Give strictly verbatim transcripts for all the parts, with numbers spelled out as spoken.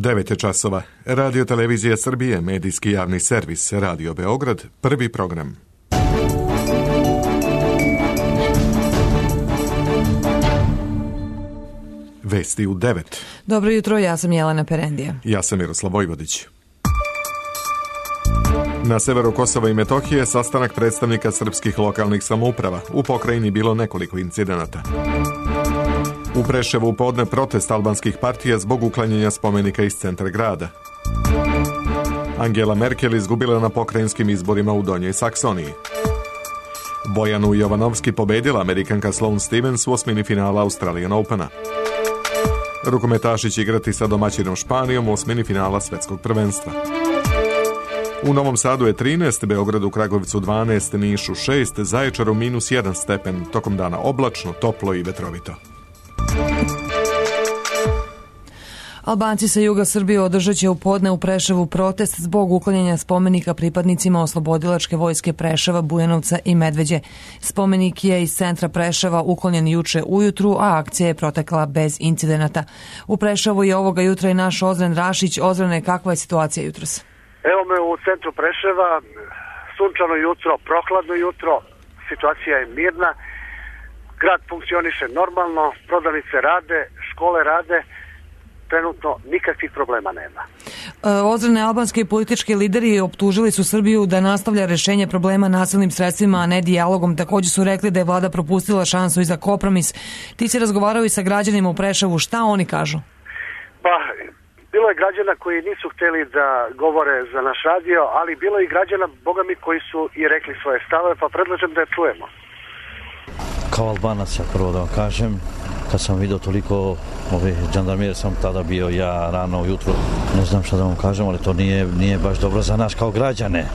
devet je časova. Radio Televizija Srbije, medijski javni servis, Radio Beograd, prvi program. Vesti u devet. Dobro jutro, ja sam Jelena Perendija. Ja sam Miroslav Vojvodić. Na severu Kosova i Metohije sastanak predstavnika srpskih lokalnih samouprava. U pokrajini bilo nekoliko incidenata. U Preševu podne protest albanskih partija zbog uklanjanja spomenika iz centra grada. Angela Merkel izgubila na pokrajinskim izborima u Donjoj Saksoniji. Bojanu Jovanovski pobedila Amerikanka Sloane Stevens u osmini finala Australian Opena. Rukometaši će igrati sa domaćinom Španijom u osmini finala svetskog prvenstva. U Novom Sadu je trinaest, Beogradu, Kragujevcu dvanaest, Nišu šest, Zaječaru minus jedan stepen, tokom dana oblačno, toplo i vetrovito. Albanci sa juga Srbije održat će u podne u Preševu protest zbog uklanjanja spomenika pripadnicima oslobodilačke vojske Preševa, Bujanovca i Medveđe. Spomenik je iz centra Preševa uklonjen juče ujutru, a akcija je protekla bez incidenata. U Preševu je ovoga jutra i naš Ozren Rašić. Ozrene, kakva je situacija jutros? Evo me u centru Preševa, sunčano jutro, prohladno jutro, situacija je mirna, grad funkcioniše normalno, prodavnice rade, škole rade, trenutno nikakvih problema nema. E, Ozrene, albanski i politički lideri optužili su Srbiju da nastavlja rešenje problema nasilnim sredstvima, a ne dijalogom. Također su rekli da je vlada propustila šansu i za kompromis. Ti si razgovarao i sa građanima u Preševu, šta oni kažu? Pa, bilo je građana koji nisu hteli da govore za naš radio, ali bilo je i građana, boga mi, koji su i rekli svoje stavove, pa predlažem da je čujemo. Kao Albanac, ja prvo da vam kažem, kad sam vidio toliko ove žandarmerije, sam tada bio ja rano ujutro, ne znam šta da vam kažem, ali to nije, nije baš dobro za nas kao građane.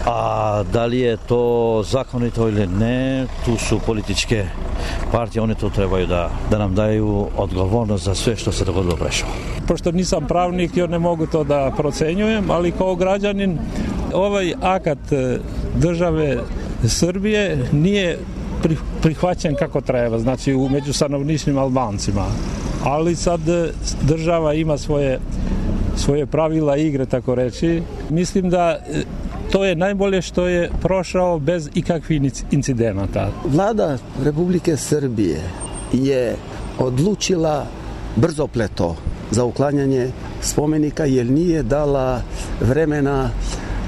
A da li je to zakonito ili ne, tu su političke partije, one to trebaju da, da nam daju odgovornost za sve što se dogodilo u Preševu. Pošto nisam pravnik, ja ne mogu to da procenjujem, ali kao građanin ovaj akat države Srbije nije prihvaćen kako treba, znači u među stanovničnim Albancima. Ali sad država ima svoje, svoje pravila igre, tako reći. Mislim da to je najbolje što je prošao bez ikakvih incidenata. Vlada Republike Srbije je odlučila brzopleto za uklanjanje spomenika jer nije dala vremena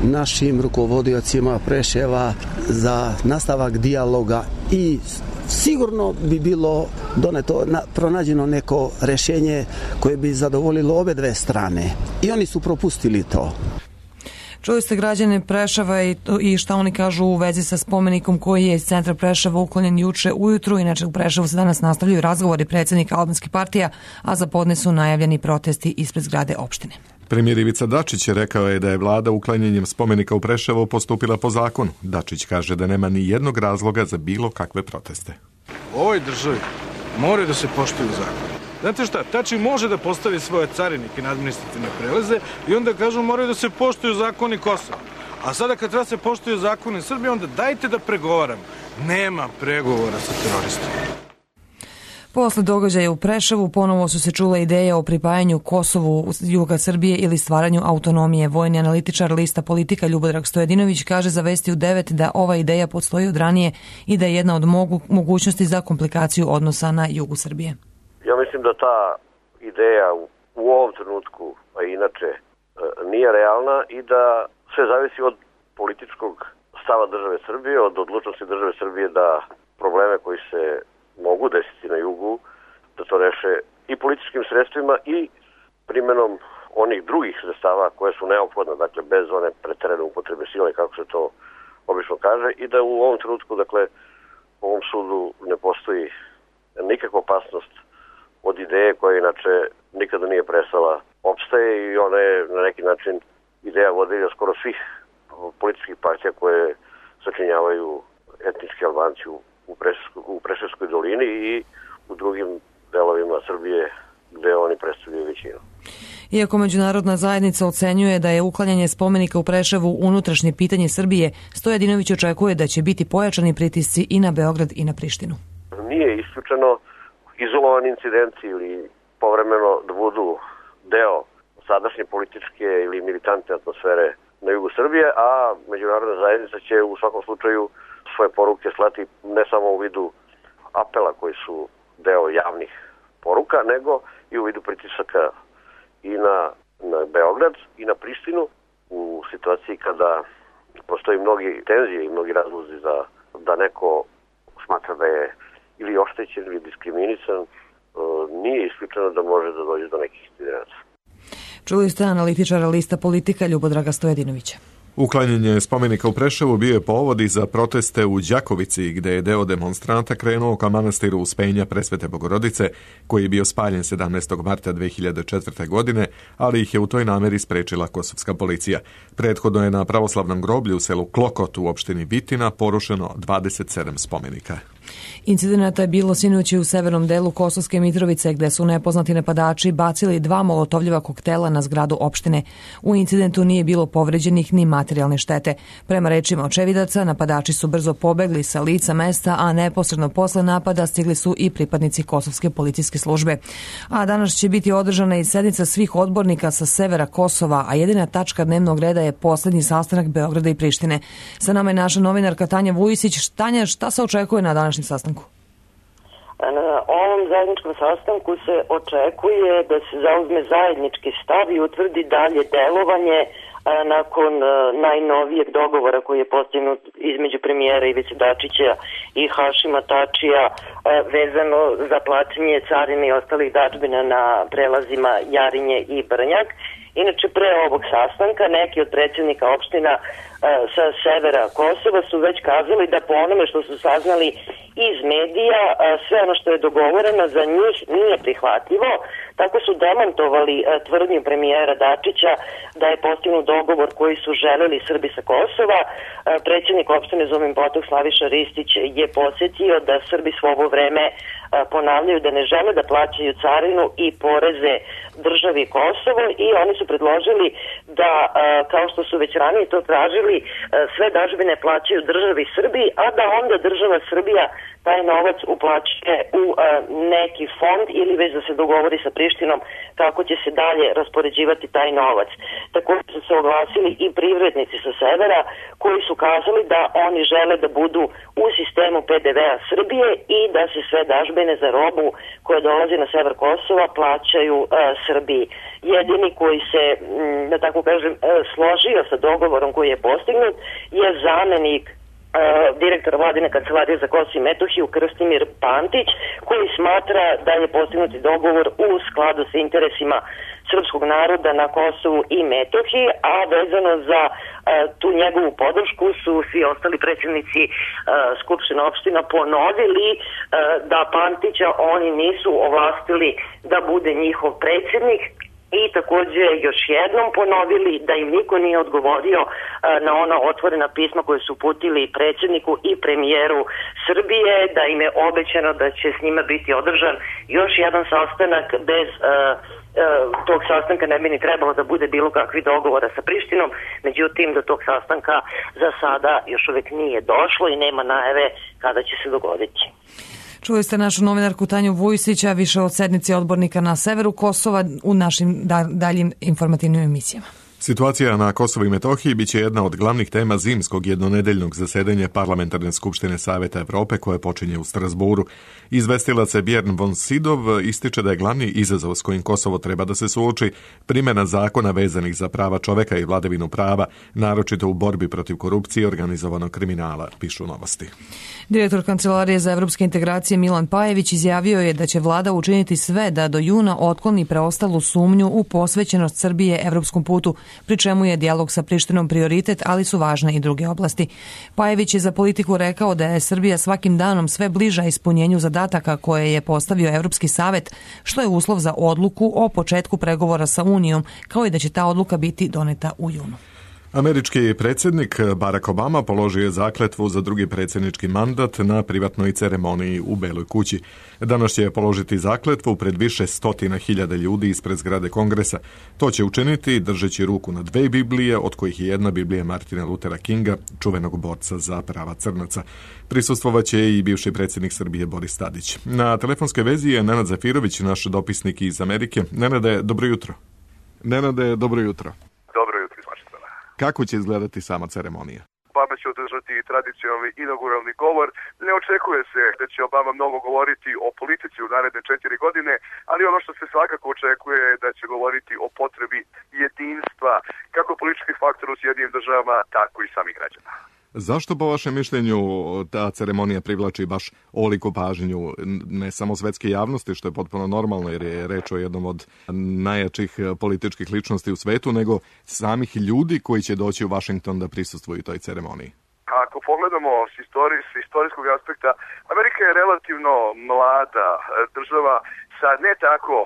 našim rukovodiocima Preševa za nastavak dijaloga i sigurno bi bilo doneto, na, pronađeno neko rešenje koje bi zadovoljilo obe dve strane i oni su propustili to. Čuli ste građane Preševa i, i šta oni kažu u vezi sa spomenikom koji je iz centra Preševa uklonjen juče ujutru. Inače u Preševu se danas nastavljaju razgovori predsjednika albanskih partija, a za podne su najavljeni protesti ispred zgrade opštine. Premijer Ivica Dačić je rekao je da je vlada uklanjanjem spomenika u Preševu postupila po zakonu. Dačić kaže da nema ni jednog razloga za bilo kakve proteste. U ovoj državi moraju da se poštuju zakoni. Znate šta, tači može da postavi svoje carinike na administrativne prelaze i onda kažu moraju da se poštuju zakoni Kosova. A sada kad treba se poštuju zakoni Srbije, onda dajte da pregovaramo. Nema pregovora sa teroristima. Posle događaja u Preševu ponovo su se čule ideje o pripajanju Kosovu juga Srbije ili stvaranju autonomije. Vojni analitičar lista Politika Ljubodrag Stojadinović kaže za Vesti u devet da ova ideja postoji od ranije i da je jedna od mogu, mogućnosti za komplikaciju odnosa na jugu Srbije. Ja mislim da ta ideja u, u ovom trenutku, a inače, nije realna i da sve zavisi od političkog stava države Srbije, od odlučnosti države Srbije da probleme koji se mogu desiti na jugu, da to reše i političkim sredstvima i primjenom onih drugih sredstava koje su neophodne, dakle bez one preterane upotrebe sile, kako se to obično kaže, i da u ovom trenutku, dakle, u ovom sudu ne postoji nikakva opasnost od ideje koja inače nikada nije prestala opstaje i ona je na neki način ideja vodilja skoro svih političkih partija koje sačinjavaju etnički Albanci u Preševskoj, u Preševskoj dolini i u drugim delovima Srbije gde oni predstavljaju većinu. Iako međunarodna zajednica ocenjuje da je uklanjanje spomenika u Preševu unutrašnje pitanje Srbije, Stojadinović očekuje da će biti pojačani pritisci i na Beograd i na Prištinu. Nije isključeno izolovani incidenti ili povremeno da budu deo sadašnje političke ili militantne atmosfere na jugu Srbije, a međunarodna zajednica će u svakom slučaju svoje poruke slati ne samo u vidu apela koji su deo javnih poruka, nego i u vidu pritisaka i na, na Beograd i na Prištinu u situaciji kada postoji mnogi tenzije i mnogi razlozi za da neko smatra da je ili oštećen ili diskriminisan, nije isključeno da može da dođe do nekih incidenata. Čuli ste analitičara lista Politika Ljubodraga Stojedinovića. Uklanjanje spomenika u Preševu bio je povod i za proteste u Đakovici, gde je deo demonstranta krenuo ka manastiru Uspenja Presvete Bogorodice, koji je bio spaljen sedamnaestog marta dve hiljade četvrte. godine, ali ih je u toj nameri sprečila kosovska policija. Prethodno je na pravoslavnom groblju u selu Klokot u opštini Vitina porušeno dvadeset sedam spomenika. Incidenata je bilo sinoć u severnom delu Kosovske Mitrovice, gde su nepoznati napadači bacili dva molotovljiva koktela na zgradu opštine. U incidentu nije bilo povređenih ni materijalne štete. Prema rečima očevidaca, napadači su brzo pobegli sa lica mesta, a neposredno posle napada stigli su i pripadnici Kosovske policijske službe. A danas će biti održana i sednica svih odbornika sa severa Kosova, a jedina tačka dnevnog reda je poslednji sastanak Beograda i Prištine. Sa nama je naša novinarka Tanja Vujisić. Tanja, šta se očekuje na današnjem sastanku? Na ovom zajedničkom sastanku se očekuje da se zauzme zajednički stav i utvrdi dalje delovanje nakon najnovijeg dogovora koji je postignut između premijera Ivice Dačića i Hašima Tačija vezano za plaćanje carine i ostalih dažbina na prelazima Jarinje i Brnjak. Inače, pre ovog sastanka neki od predsjednika opština sa severa Kosova su već kazali da po onome što su saznali iz medija, sve ono što je dogovoreno za njih nije prihvatljivo. Tako su demantovali tvrdnju premijera Dačića da je postignut dogovor koji su želeli Srbi sa Kosova. Predsjednik opštine Zubin Potok Slaviša Ristić je podsjetio da Srbi svo ovo vreme ponavljaju da ne žele da plaćaju carinu i poreze državi Kosovo i oni su predložili da, kao što su već ranije to tražili, sve dažbine plaćaju državi Srbiji, a da onda država Srbija taj novac uplaćuje u neki fond ili već da se dogovori sa Prištinom kako će se dalje raspoređivati taj novac. Također su se oglasili i privrednici sa severa koji su kazali da oni žele da budu u sistemu pe de ve a Srbije i da se sve dažbine za robu koja dolazi na sever Kosova plaćaju uh, Srbiji. Jedini koji se, da tako kažem, složio sa dogovorom koji je postignut je zamenik direktora vladine kancelarije za Kosovo i Metohiju Krstimir Pantić, koji smatra da je postignuti dogovor u skladu sa interesima srpskog naroda na Kosovu i Metohiji, a vezano za uh, tu njegovu podršku su svi ostali predsjednici uh, Skupštine opština ponovili uh, da Pantića oni nisu ovlastili da bude njihov predsjednik. I također još jednom ponovili da im niko nije odgovorio na ona otvorena pisma koje su uputili predsjedniku i premijeru Srbije, da im je obećano da će s njima biti održan još jedan sastanak bez uh, uh, tog sastanka ne bi ni trebalo da bude bilo kakvih dogovora sa Prištinom, međutim do tog sastanka za sada još uvijek nije došlo i nema najave kada će se dogoditi. Čuli ste našu novinarku Tanju Vujsića, više od sednice odbornika na severu Kosova u našim daljim informativnim emisijama. Situacija na Kosovu i Metohiji biće jedna od glavnih tema zimskog jednonedeljnog zasedanja Parlamentarne skupštine Saveta Evrope koje počinje u Strasburu. Izvestilac Björn von Sydow ističe da je glavni izazov s kojim Kosovo treba da se suoči primjena zakona vezanih za prava čoveka i vladavinu prava, naročito u borbi protiv korupcije i organizovanog kriminala, pišu Novosti. Direktor Kancelarije za evropske integracije Milan Pajević izjavio je da će vlada učiniti sve da do juna otkloni preostalu sumnju u posvećenost Srbije evropskom putu, pri čemu je dijalog sa Prištinom prioritet, ali su važne i druge oblasti. Pajević je za Politiku rekao da je Srbija svakim danom sve bliža ispunjenju zadataka koje je postavio Evropski savet, što je uslov za odluku o početku pregovora sa Unijom, kao i da će ta odluka biti doneta u junu. Američki predsjednik Barack Obama položio je zakletvu za drugi predsjednički mandat na privatnoj ceremoniji u Beloj kući. Danas će položiti zakletvu pred više stotina hiljada ljudi ispred zgrade Kongresa. To će učiniti držeći ruku na dve Biblije, od kojih je jedna Biblija Martina Luthera Kinga, čuvenog borca za prava crnaca. Prisustvovaće i bivši predsjednik Srbije Boris Tadić. Na telefonskoj vezi je Nenad Zafirović, naš dopisnik iz Amerike. Nenade, dobro jutro. Nenade, dobro jutro. Dobro jutro iz Vašingtona. Kako će izgledati sama ceremonija? Obama će održati tradicionalni inauguralni govor. Ne očekuje se da će Obama mnogo govoriti o politici u naredne četiri godine, ali ono što se svakako očekuje je da će govoriti o potrebi jedinstva, kako političkih faktora u Sjedinjenim državama, tako i samih građana. Zašto po vašem mišljenju ta ceremonija privlači baš ovoliku pažnju ne samo svetske javnosti, što je potpuno normalno jer je reč o jednom od najjačih političkih ličnosti u svetu, nego samih ljudi koji će doći u Vašington da prisustvuju toj ceremoniji? Ako pogledamo s, istorij, s istorijskog aspekta, Amerika je relativno mlada država sa ne tako,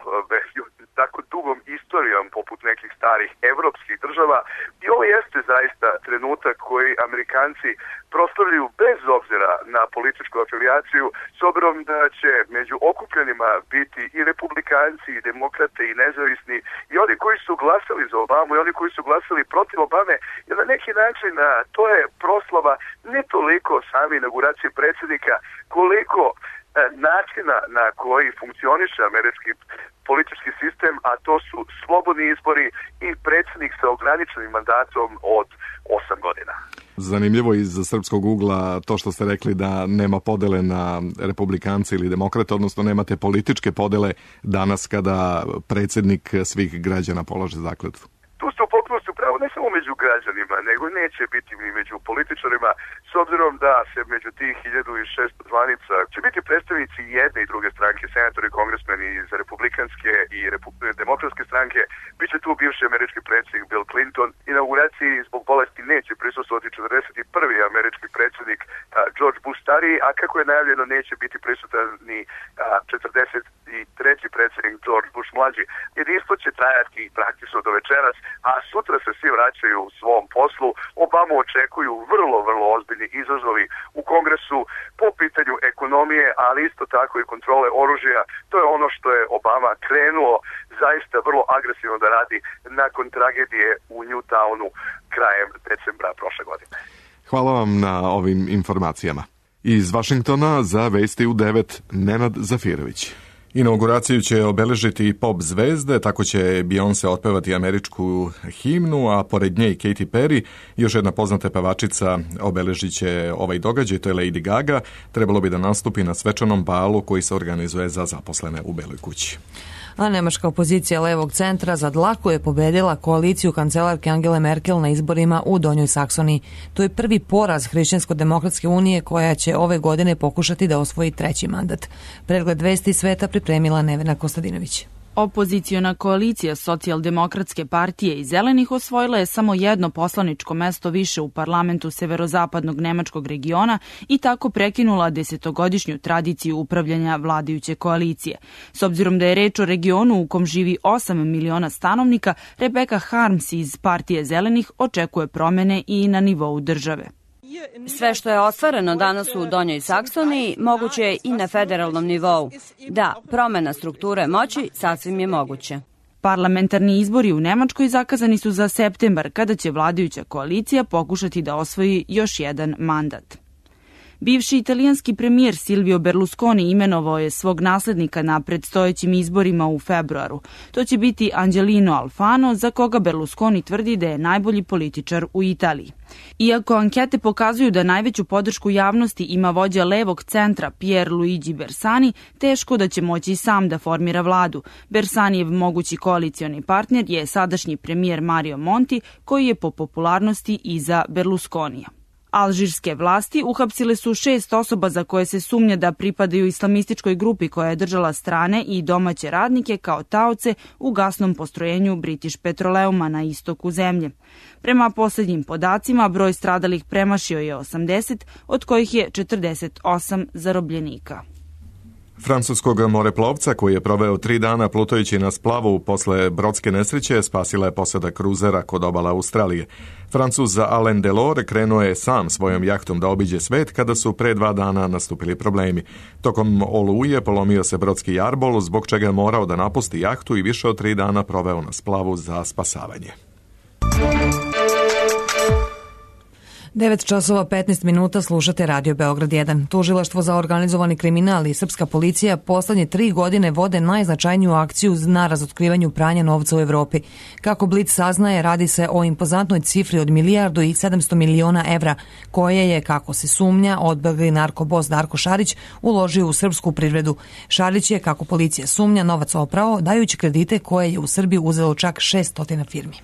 tako dugom istorijom poput nekih starih evropskih država i ovo jeste zaista trenutak koji Amerikanci proslavljaju bez obzira na političku afiliaciju, s obzirom da će među okupljenima biti i republikanci, i demokrate, i nezavisni, i oni koji su glasali za Obamu, i oni koji su glasali protiv Obame, jer na neki način to je proslava ne toliko same inauguracije predsjednika, koliko načina na koji funkcioniše američki politički sistem, a to su slobodni izbori i predsjednik sa ograničenim mandatom od osam godina. Zanimljivo iz srpskog ugla to što ste rekli da nema podele na republikance ili demokrate, odnosno nemate političke podele danas kada predsjednik svih građana polaže zakletvu. Tu ste u potpunosti upravo ne samo među građanima, nego neće biti ni među političarima, s obzirom da se među tih hiljadu šesto zvanica će biti predstavnici jedne i druge stranke, senatori, kongresmeni iz republikanske i repu- demokratske stranke, bit će tu bivši američki predsjednik Bill Clinton. Inauguraciji zbog bolesti neće prisustvovati četrdeset prvi američki predsjednik a, George Bush stariji, a kako je najavljeno neće biti prisutan ni a, četrdeset treći predsjednik George Bush mlađi. Jedinstvo će trajati praktično do večeras, a sutra se svi vraćaju u svom poslu. Obamu očekuju vrlo, vrlo ozbiljni izazovi u Kongresu po pitanju ekonomije, ali isto tako i kontrole oružja. To je ono što je Obama krenuo zaista vrlo agresivno da radi nakon tragedije u Newtownu krajem decembra prošle godine. Hvala vam na ovim informacijama. Iz Vašingtona za Vesti u devet Nenad Zafirović. Inauguraciju će obeležiti pop zvezde, tako će Beyoncé otpevati američku himnu, a pored nje i Katy Perry, još jedna poznata pevačica, obeležit će ovaj događaj, to je Lady Gaga. Trebalo bi da nastupi na svečanom balu koji se organizuje za zaposlene u Beloj kući. A nemačka opozicija levog centra za dlaku je pobedila koaliciju kancelarke Angele Merkel na izborima u Donjoj Saksoniji. To je prvi poraz Hrišćansko-demokratske unije koja će ove godine pokušati da osvoji treći mandat. Pregled vesti sveta pripremila Nevena Kostadinović. Opoziciona koalicija Socijaldemokratske partije i Zelenih osvojila je samo jedno poslaničko mesto više u parlamentu severozapadnog nemačkog regiona i tako prekinula desetogodišnju tradiciju upravljanja vladajuće koalicije. S obzirom da je reč o regionu u kom živi osam miliona stanovnika, Rebecca Harms iz partije Zelenih očekuje promene i na nivou države. Sve što je ostvareno danas u Donjoj Saksoniji moguće je i na federalnom nivou. Da, promena strukture moći sasvim je moguće. Parlamentarni izbori u Nemačkoj zakazani su za septembar, kada će vladajuća koalicija pokušati da osvoji još jedan mandat. Bivši italijanski premijer Silvio Berlusconi imenovao je svog naslednika na predstojećim izborima u februaru. To će biti Angelino Alfano, za koga Berlusconi tvrdi da je najbolji političar u Italiji. Iako ankete pokazuju da najveću podršku javnosti ima vođa levog centra Pier Luigi Bersani, teško da će moći sam da formira vladu. Bersanijev mogući koalicioni partner je sadašnji premijer Mario Monti, koji je po popularnosti iza Berlusconija. Alžirske vlasti uhapsile su šest osoba za koje se sumnja da pripadaju islamističkoj grupi koja je držala strane i domaće radnike kao taoce u gasnom postrojenju British Petroleuma na istoku zemlje. Prema posljednjim podacima, broj stradalih premašio je osamdeset, od kojih je četrdeset osam zarobljenika. Francuskog moreplovca koji je proveo tri dana plutajući na splavu posle brodske nesreće spasila je posada kruzera kod obala Australije. Francuz Alain Delors krenuo je sam svojom jahtom da obiđe svet kada su pre dva dana nastupili problemi. Tokom oluje polomio se brodski jarbol, zbog čega je morao da napusti jahtu i više od tri dana proveo na splavu za spasavanje. devet časova petnaest minuta slušate Radio Beograd jedan. Tužilaštvo za organizovani kriminal i srpska policija poslednje tri godine vode najznačajniju akciju na razotkrivanju pranja novca u Evropi. Kako Blic saznaje, radi se o impozantnoj cifri od milijardu i sedamsto miliona evra, koje je, kako se sumnja, odbegli narkobos Darko Šarić uložio u srpsku privredu. Šarić je, kako policija sumnja, novac oprao dajući kredite koje je u Srbiji uzelo čak šessto firmi.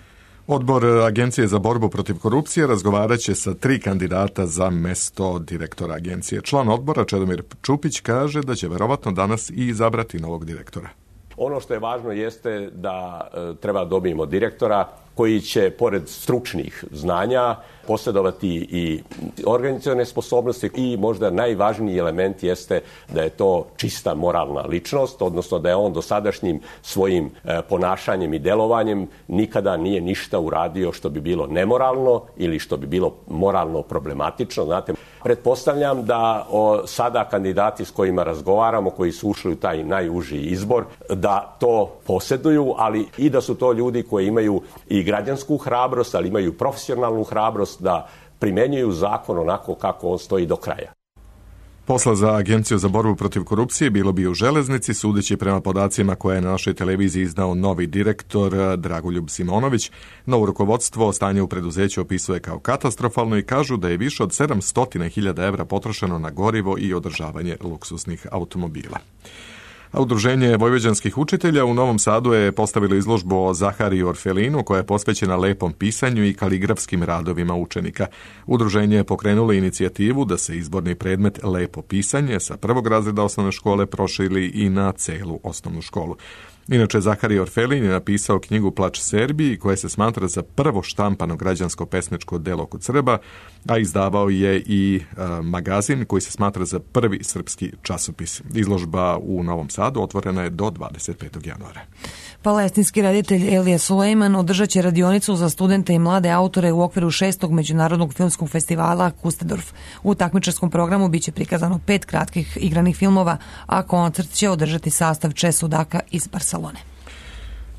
Odbor Agencije za borbu protiv korupcije razgovarat će sa tri kandidata za mesto direktora agencije. Član odbora Čedomir Čupić kaže da će verovatno danas i izabrati novog direktora. Ono što je važno jeste da e, treba dobijemo direktora koji će, pored stručnih znanja, posjedovati i organizacione sposobnosti i možda najvažniji element jeste da je to čista moralna ličnost, odnosno da je on dosadašnjim svojim e, ponašanjem i delovanjem nikada nije ništa uradio što bi bilo nemoralno ili što bi bilo moralno problematično. Znate, pretpostavljam da o, sada kandidati s kojima razgovaramo, koji su ušli u taj najuži izbor, da to posjeduju, ali i da su to ljudi koji imaju i građansku hrabrost, ali imaju profesionalnu hrabrost da primenjuju zakon onako kako on stoji do kraja. Posla za Agenciju za borbu protiv korupcije bilo bi u železnici, sudeći prema podacima koje je na našoj televiziji iznao novi direktor Dragoljub Simonović. Novo rukovodstvo stanje u preduzeću opisuje kao katastrofalno i kažu da je više od sedamsto hiljada evra potrošeno na gorivo i održavanje luksusnih automobila. A Udruženje vojvođanskih učitelja u Novom Sadu je postavilo izložbu o Zahariju Orfelinu koja je posvećena lepom pisanju i kaligrafskim radovima učenika. Udruženje je pokrenulo inicijativu da se izborni predmet lepo pisanje sa prvog razreda osnovne škole proširi i na celu osnovnu školu. Inače, Zaharij Orfelin je napisao knjigu Plač Serbiji, koja se smatra za prvo štampano građansko-pesničko delo kod Srba, a izdavao je i e, magazin koji se smatra za prvi srpski časopis. Izložba u Novom Sadu otvorena je do dvadeset petog januara. Palestinski reditelj Elija Sulejman održat će radionicu za studente i mlade autore u okviru šestog međunarodnog filmskog festivala Kustendorf. U takmičarskom programu biće prikazano pet kratkih igranih filmova, a koncert će održati sastav Če Sudaka iz Barcelone.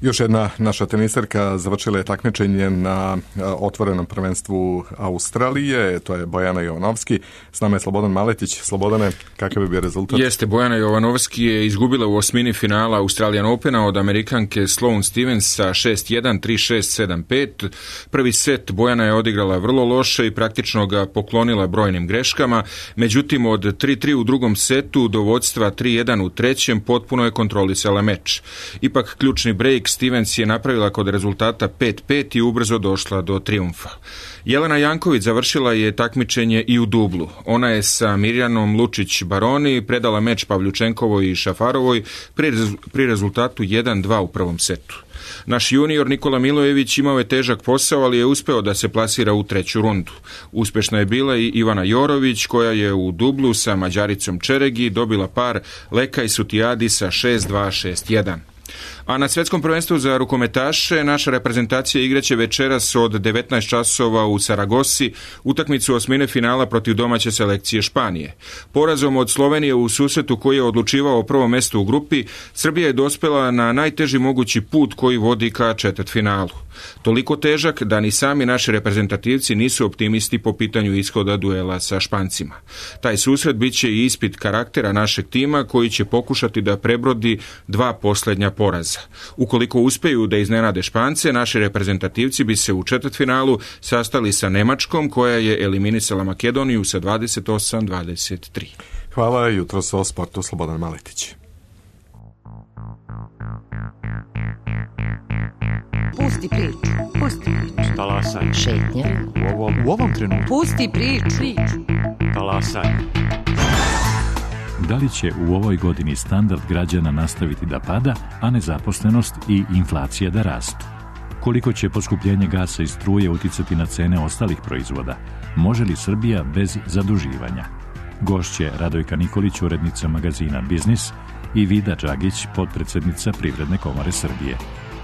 Još jedna naša tenisarka završila je takmičenje na otvorenom prvenstvu Australije, to je Bojana Jovanovski. S nama je Slobodan Maletić. Slobodane, kakav bi bio rezultat? Jeste, Bojana Jovanovski je izgubila u osmini finala Australian Opena od Amerikanke Sloane Stevens sa šest jedan, tri šest, sedam pet. Prvi set Bojana je odigrala vrlo loše i praktično ga poklonila brojnim greškama, međutim od tri tri u drugom setu do vodstva tri jedan u trećem potpuno je kontrolisala meč. Ipak ključni break Stevens je napravila kod rezultata pet pet i ubrzo došla do trijumfa. Jelena Janković završila je takmičenje i u dublu. Ona je sa Mirjanom Lučić-Baroni predala meč Pavljučenkovoj i Šafarovoj pri, rez, pri rezultatu jedan dva u prvom setu. Naš junior Nikola Milojević imao je težak posao, ali je uspeo da se plasira u treću rundu. Uspešna je bila i Ivana Jorović, koja je u dublu sa Mađaricom Čeregi dobila par Lekaj Sutijadi sa šest dva, šest jedan. A na svetskom prvenstvu za rukometaše naša reprezentacija igraće večeras od devetnaest časova u Saragosi utakmicu osmine finala protiv domaće selekcije Španije. Porazom od Slovenije u susretu koji je odlučivao o prvom mestu u grupi, Srbija je dospela na najteži mogući put koji vodi ka četvrtfinalu. Toliko težak da ni sami naši reprezentativci nisu optimisti po pitanju ishoda duela sa Špancima. Taj susret biće i ispit karaktera našeg tima koji će pokušati da prebrodi dva posljednja poraza. Ukoliko uspeju da iznenade Špance, naši reprezentativci bi se u četvrtfinalu sastali sa Nemačkom, koja je eliminisala Makedoniju sa dvadeset osam dvadeset tri. Hvala, jutro o sportu Slobodan Maletić. Pusti priču, pusti priču. Talasaj. Šetnja. U ovom, u ovom trenutku. Pusti priču. Talasaj. Da li će u ovoj godini standard građana nastaviti da pada, a nezaposlenost i inflacija da rastu? Koliko će poskupljenje gasa i struje uticati na cene ostalih proizvoda? Može li Srbija bez zaduživanja? Gošće Radojka Nikolić, urednica magazina Biznis, i Vida Đagić, potpredsednica Privredne komore Srbije.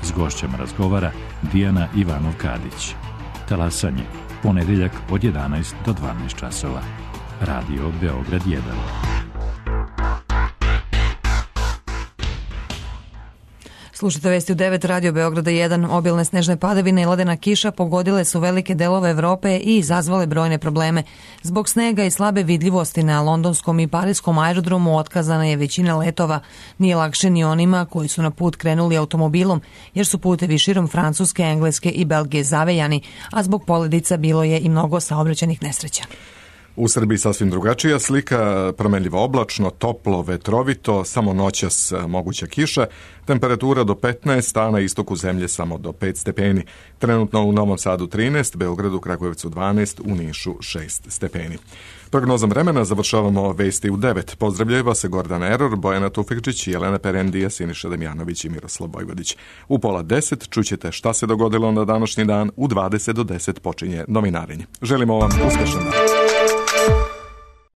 S gošćama razgovara Dijana Ivanov-Kadić. Talasanje, ponedeljak od jedanaest do dvanaest časova. Radio Beograd jedan. Slušajte vesti u devet, Radio Beograda jedan. Obilne snežne padavine i ledena kiša pogodile su velike delove Evrope i izazvale brojne probleme. Zbog snega i slabe vidljivosti na londonskom i parijskom aerodromu otkazana je većina letova. Nije lakše ni onima koji su na put krenuli automobilom, jer su putevi širom Francuske, Engleske i Belgije zavejani, a zbog poledica bilo je i mnogo saobraćajnih nesreća. U Srbiji sasvim drugačija slika, promenljivo oblačno, toplo, vetrovito, samo noćas moguća kiša, temperatura do petnaest, a na istoku zemlje samo do pet stepeni. Trenutno u Novom Sadu trinaest, Beogradu, Kragujevcu dvanaest, u Nišu šest stepeni. Prognozom vremena završavamo vesti u devet. Pozdravljaju se Gordan Eror, Bojana Tufikčić, Jelena Perendija, Siniša Damjanović i Miroslav Bojvodić. U pola deset čućete šta se dogodilo na današnji dan, u dvadeset do deset počinje novinarenje. Želimo vam uspešan dan.